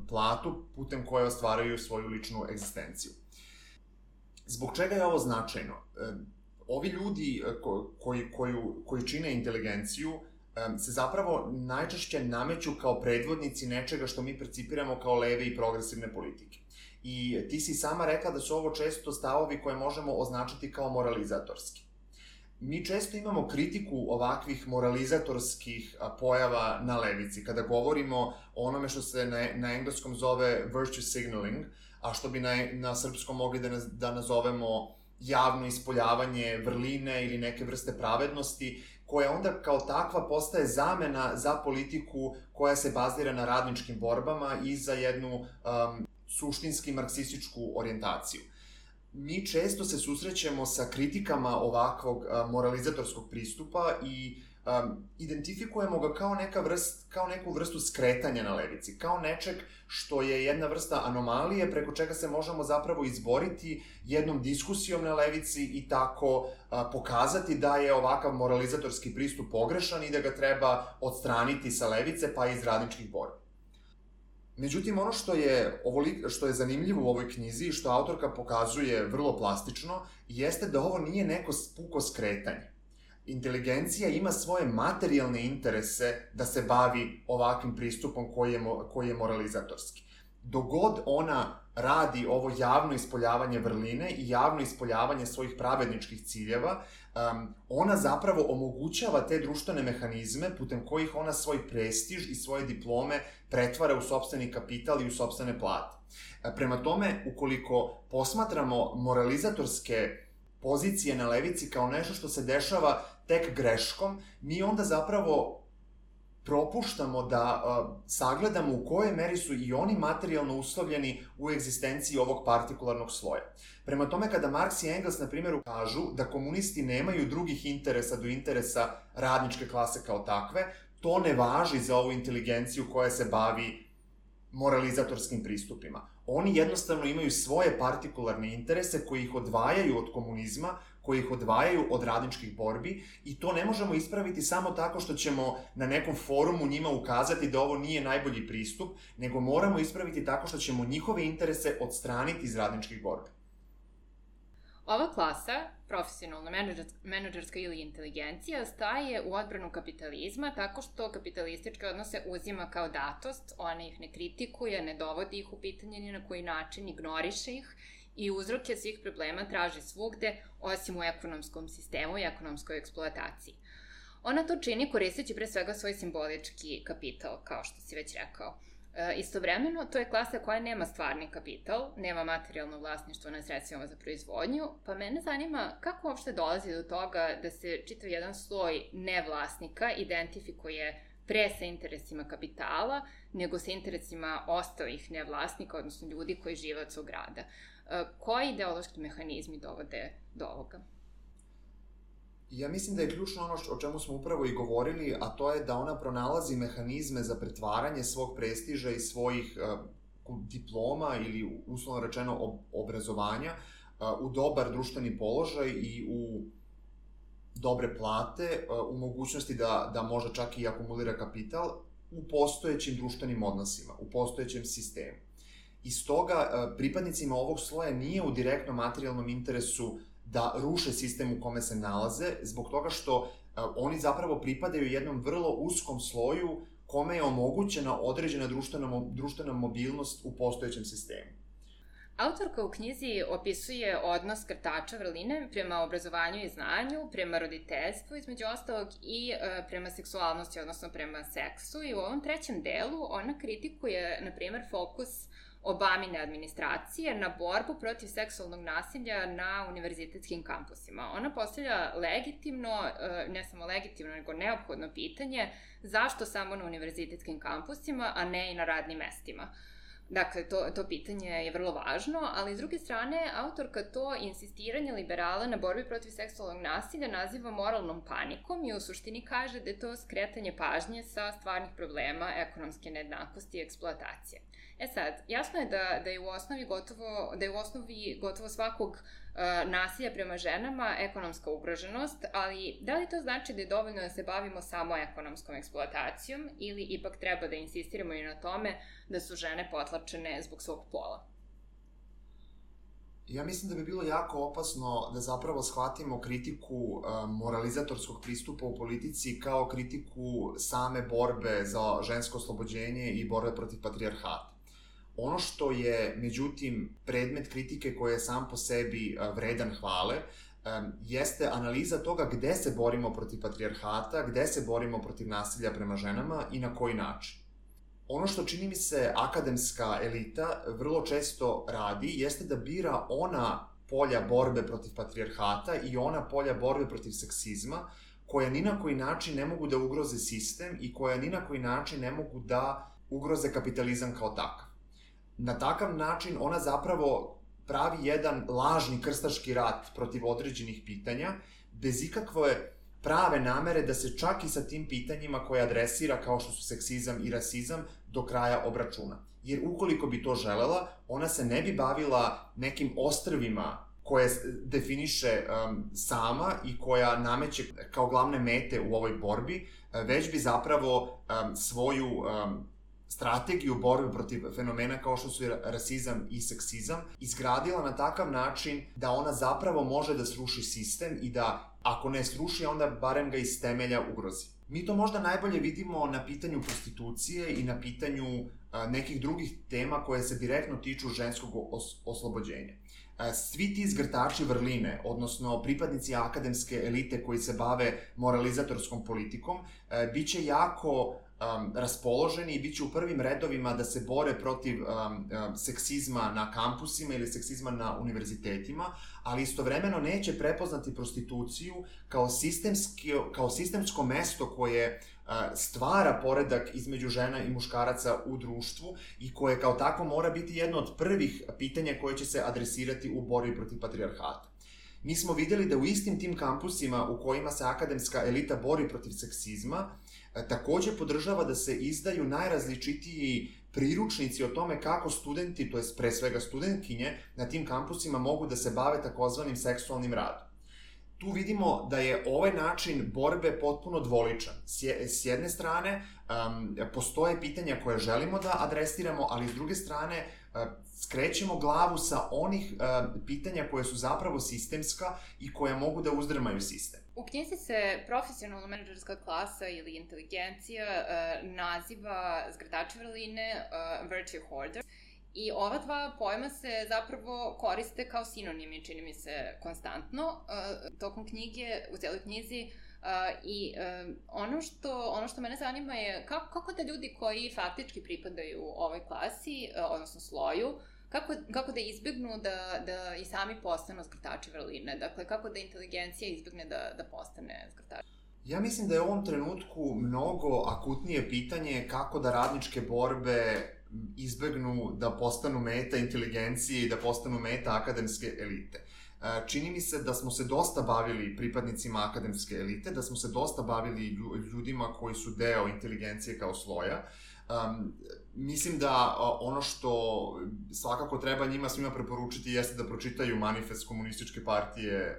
platu, putem koje ostvaraju svoju ličnu egzistenciju. Zbog čega je ovo značajno? Ovi ljudi koji čine inteligenciju se zapravo najčešće nameću kao predvodnici nečega što mi percipiramo kao leve i progresivne politike. I ti si sama rekla da su ovo često stavovi koje možemo označiti kao moralizatorski. Mi često imamo kritiku ovakvih moralizatorskih pojava na levici, kada govorimo o onome što se na engleskom zove virtue signaling, a što bi na srpskom mogli da nazovemo javno ispoljavanje vrline ili neke vrste pravednosti, koja onda kao takva postaje zamena za politiku koja se bazira na radničkim borbama i za jednu suštinski marksističku orijentaciju. Mi često se susrećemo sa kritikama ovakvog moralizatorskog pristupa i identifikujemo ga kao neku vrstu skretanja na levici, kao nečeg što je jedna vrsta anomalije preko čega se možemo zapravo izboriti jednom diskusijom na levici i tako pokazati da je ovakav moralizatorski pristup pogrešan i da ga treba odstraniti sa levice pa iz radničkih borbi. Međutim, ono što je zanimljivo u ovoj knjizi i što autorka pokazuje vrlo plastično, jeste da ovo nije neko puko skretanje. Inteligencija ima svoje materijalne interese da se bavi ovakvim pristupom koji je moralizatorski. dogod ona radi ovo javno ispoljavanje vrline i javno ispoljavanje svojih pravedničkih ciljeva, ona zapravo omogućava te društvene mehanizme putem kojih ona svoj prestiž i svoje diplome pretvara u sopstveni kapital i u sopstvene plate. Prema tome, ukoliko posmatramo moralizatorske pozicije na levici kao nešto što se dešava tek greškom, mi onda zapravo propuštamo da sagledamo u kojoj meri su i oni materijalno uslovljeni u egzistenciji ovog partikularnog sloja. Prema tome, kada Marks i Engels, na primjer, kažu da komunisti nemaju drugih interesa do interesa radničke klase kao takve, to ne važi za ovu inteligenciju koja se bavi moralizatorskim pristupima. Oni jednostavno imaju svoje partikularne interese koji ih odvajaju od komunizma, koji ih odvajaju od radničkih borbi i to ne možemo ispraviti samo tako što ćemo na nekom forumu njima ukazati da ovo nije najbolji pristup, nego moramo ispraviti tako što ćemo njihove interese odstraniti iz radničkih borbi. Ova klasa, profesionalna, menadžerska ili inteligencija, staje u odbranu kapitalizma tako što kapitalističke odnose uzima kao datost, ona ih ne kritikuje, ne dovodi ih u pitanje ni na koji način, ignoriše ih i uzroke svih problema traži svugde, osim u ekonomskom sistemu i ekonomskoj eksploataciji. Ona to čini koristeći pre svega svoj simbolički kapital, kao što si već rekao. Istovremeno, to je klasa koja nema stvarni kapital, nema materijalno vlasništvo na sredstvima za proizvodnju, pa mene zanima kako uopšte dolazi do toga da se čitav jedan sloj nevlasnika identifikuje pre sa interesima kapitala, nego sa interesima ostalih nevlasnika, odnosno ljudi koji žive od svog rada. Koji ideološki mehanizmi dovode do ovoga? Ja mislim da je ključno ono o čemu smo upravo i govorili, a to je da ona pronalazi mehanizme za pretvaranje svog prestiža i svojih diploma ili uslovno rečeno obrazovanja u dobar društveni položaj i u dobre plate, u mogućnosti da može čak i akumulira kapital u postojećim društvenim odnosima, u postojećem sistemu. I stoga pripadnicima ovog sloja nije u direktnom materijalnom interesu da ruše sistem u kome se nalaze, zbog toga što oni zapravo pripadaju jednom vrlo uskom sloju kome je omogućena određena društvena mobilnost u postojećem sistemu. Autorka u knjizi opisuje odnos krtača vrline prema obrazovanju i znanju, prema roditeljstvu, između ostalog, i prema seksualnosti, odnosno prema seksu. I u ovom trećem delu ona kritikuje, na primer, fokus Obamine administracije na borbu protiv seksualnog nasilja na univerzitetskim kampusima. Ona postavlja legitimno, ne samo legitimno, nego neophodno pitanje zašto samo na univerzitetskim kampusima, a ne i na radnim mestima. Dakle, to pitanje je vrlo važno, ali s druge strane, autorka to insistiranje liberala na borbi protiv seksualnog nasilja naziva moralnom panikom i u suštini kaže da je to skretanje pažnje sa stvarnih problema ekonomske nejednakosti i eksploatacije. Sad, jasno je da je u osnovi gotovo svakog nasilja prema ženama ekonomska ugroženost, ali da li to znači da je dovoljno da se bavimo samo ekonomskom eksploatacijom ili ipak treba da insistiramo i na tome da su žene potlačene zbog svog pola? Ja mislim da bi bilo jako opasno da zapravo shvatimo kritiku moralizatorskog pristupa u politici kao kritiku same borbe za žensko oslobođenje i borbe protiv patrijarhata. Ono što je, međutim, predmet kritike koji je sam po sebi vredan hvale, jeste analiza toga gde se borimo protiv patrijarhata, gde se borimo protiv nasilja prema ženama i na koji način. Ono što čini mi se akademska elita vrlo često radi, jeste da bira ona polja borbe protiv patrijarhata i ona polja borbe protiv seksizma, koja ni na koji način ne mogu da ugroze sistem i koja ni na koji način ne mogu da ugroze kapitalizam kao takav. Na takav način ona zapravo pravi jedan lažni krstaški rat protiv određenih pitanja, bez ikakve prave namere da se čak i sa tim pitanjima koje adresira, kao što su seksizam i rasizam, do kraja obračuna. Jer ukoliko bi to želela, ona se ne bi bavila nekim ostrvima koje definiše sama i koja nameće kao glavne mete u ovoj borbi, već bi zapravo svoju strategiju borbe protiv fenomena kao što su rasizam i seksizam izgradila na takav način da ona zapravo može da sruši sistem i da, ako ne sruši, onda barem ga iz temelja ugrozi. Mi to možda najbolje vidimo na pitanju prostitucije i na pitanju nekih drugih tema koje se direktno tiču ženskog oslobođenja. Svi ti zgrtači vrline, odnosno pripadnici akademske elite koji se bave moralizatorskom politikom, bit će jako raspoloženi i bit će u prvim redovima da se bore protiv seksizma na kampusima ili seksizma na univerzitetima, ali istovremeno neće prepoznati prostituciju kao sistemsko mesto koje stvara poredak između žena i muškaraca u društvu i koje kao tako mora biti jedno od prvih pitanja koje će se adresirati u borbi protiv patrijarhata. Mi smo videli da u istim tim kampusima u kojima se akademska elita bori protiv seksizma, takođe podržava da se izdaju najrazličitiji priručnici o tome kako studenti, to je pre svega studentkinje, na tim kampusima mogu da se bave takozvanim seksualnim radom. Tu vidimo da je ovaj način borbe potpuno dvoličan. S jedne strane, postoje pitanja koje želimo da adresiramo, ali s druge strane, skrećemo glavu sa onih pitanja koje su zapravo sistemska i koja mogu da uzdrmaju sistem. U knjizi se profesionalno menadžerska klasa ili inteligencija naziva zgrtači vrline virtue hoarders. I ova dva pojma se zapravo koriste kao sinonimi, čini mi se, konstantno tokom knjige, u celoj knjizi. I ono što mene zanima je kako da ljudi koji faktički pripadaju ovoj klasi, odnosno sloju, kako da izbjegnu da i sami postanu zgrtači vrline? Dakle, kako da inteligencija izbjegne da postane zgrtač? Ja mislim da je u ovom trenutku mnogo akutnije pitanje kako da radničke borbe izbegnu da postanu meta inteligencije i da postanu meta akademske elite. Čini mi se da smo se dosta bavili pripadnicima akademske elite, da smo se dosta bavili ljudima koji su deo inteligencije kao sloja. Mislim da ono što svakako treba njima svima preporučiti jeste da pročitaju manifest komunističke partije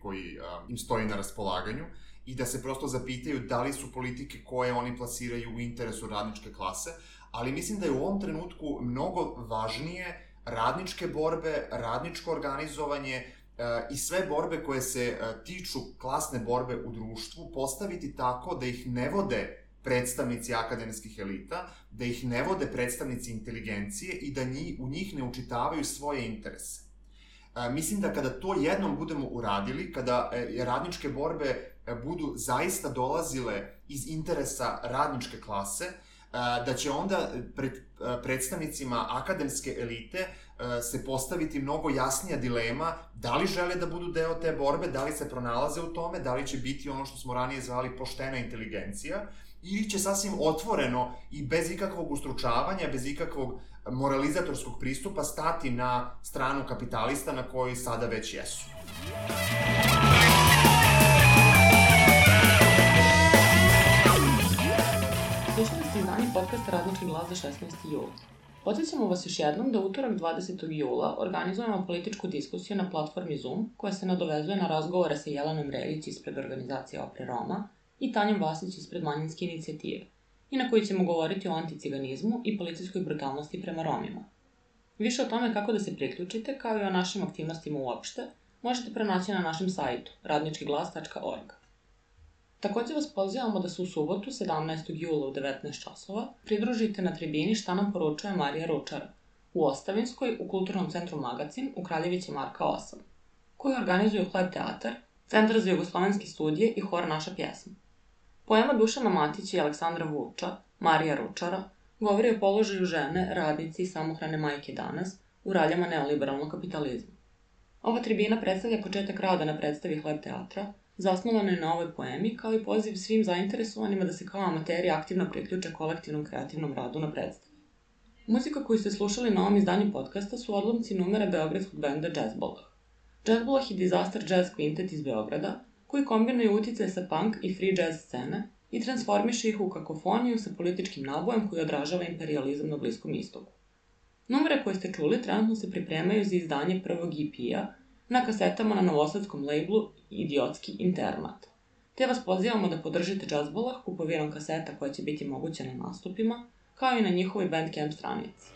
koji im stoji na raspolaganju i da se prosto zapitaju da li su politike koje oni plasiraju u interesu radničke klase, ali mislim da je u ovom trenutku mnogo važnije radničke borbe, radničko organizovanje i sve borbe koje se tiču klasne borbe u društvu postaviti tako da ih ne vode predstavnici akademskih elita, da ih ne vode predstavnici inteligencije i da u njih ne učitavaju svoje interese. Mislim da kada to jednom budemo uradili, kada radničke borbe budu zaista dolazile iz interesa radničke klase, da će onda pred predstavnicima akademske elite se postaviti mnogo jasnija dilema da li žele da budu deo te borbe, da li se pronalaze u tome, da li će biti ono što smo ranije zvali poštena inteligencija, ili će sasvim otvoreno i bez ikakvog ustručavanja, bez ikakvog moralizatorskog pristupa stati na stranu kapitalista na kojoj sada već jesu. Slušali ste izdanje podcasta Radnički glas za 16. jula. Podsjećamo vas još jednom da utorak 20. jula organizujemo političku diskusiju na platformi Zoom koja se nadovezuje na razgovore sa Jelenom Reljić ispred organizacije Opre Roma i Tanjom Vasić ispred manjinske inicijative i na kojoj ćemo govoriti o anticiganizmu i policijskoj brutalnosti prema Romima. Više o tome kako da se priključite, kao i o našim aktivnostima uopšte, možete pronaći na našem sajtu radničkiglas.org. Takođe vas pozivamo da se u subotu, 17. jula u 19 časova, pridružite na tribini Šta nam poručuje Marija Ručara u Ostavinskoj u Kulturnom centru Magacin u Kraljevići Marka 8, koju organizuju Hleb teatar, Centar za jugoslovenske studije i hor Naša pjesma. Poema Dušana Matića i Aleksandra Vuča, Marija Ručara, govori o položaju žene, radnice i samohrane majke danas u raljama neoliberalnog kapitalizma. Ova tribina predstavlja početak rada na predstavi Hleb teatra, zasnovano je na ovoj poemi, kao i poziv svim zainteresovanima da se kao amateri aktivno priključe kolektivnom kreativnom radu na predstavi. Muzika koju ste slušali na ovom izdanju podcasta su odlomci numera beogradskog benda Jazzbolah. Jazzbolah je disaster jazz kvintet iz Beograda, koji kombinuje uticaje sa punk i free jazz scene i transformiše ih u kakofoniju sa političkim nabojem koji odražava imperializam na Bliskom istoku. Numere koje ste čuli trenutno se pripremaju za izdanje prvog EP-a na kasetama na novosadskom labelu Idiotski internat. Te vas pozivamo da podržite Jazzbolah kupovinom kaseta koja će biti moguća na nastupima, kao i na njihovoj Bandcamp stranici.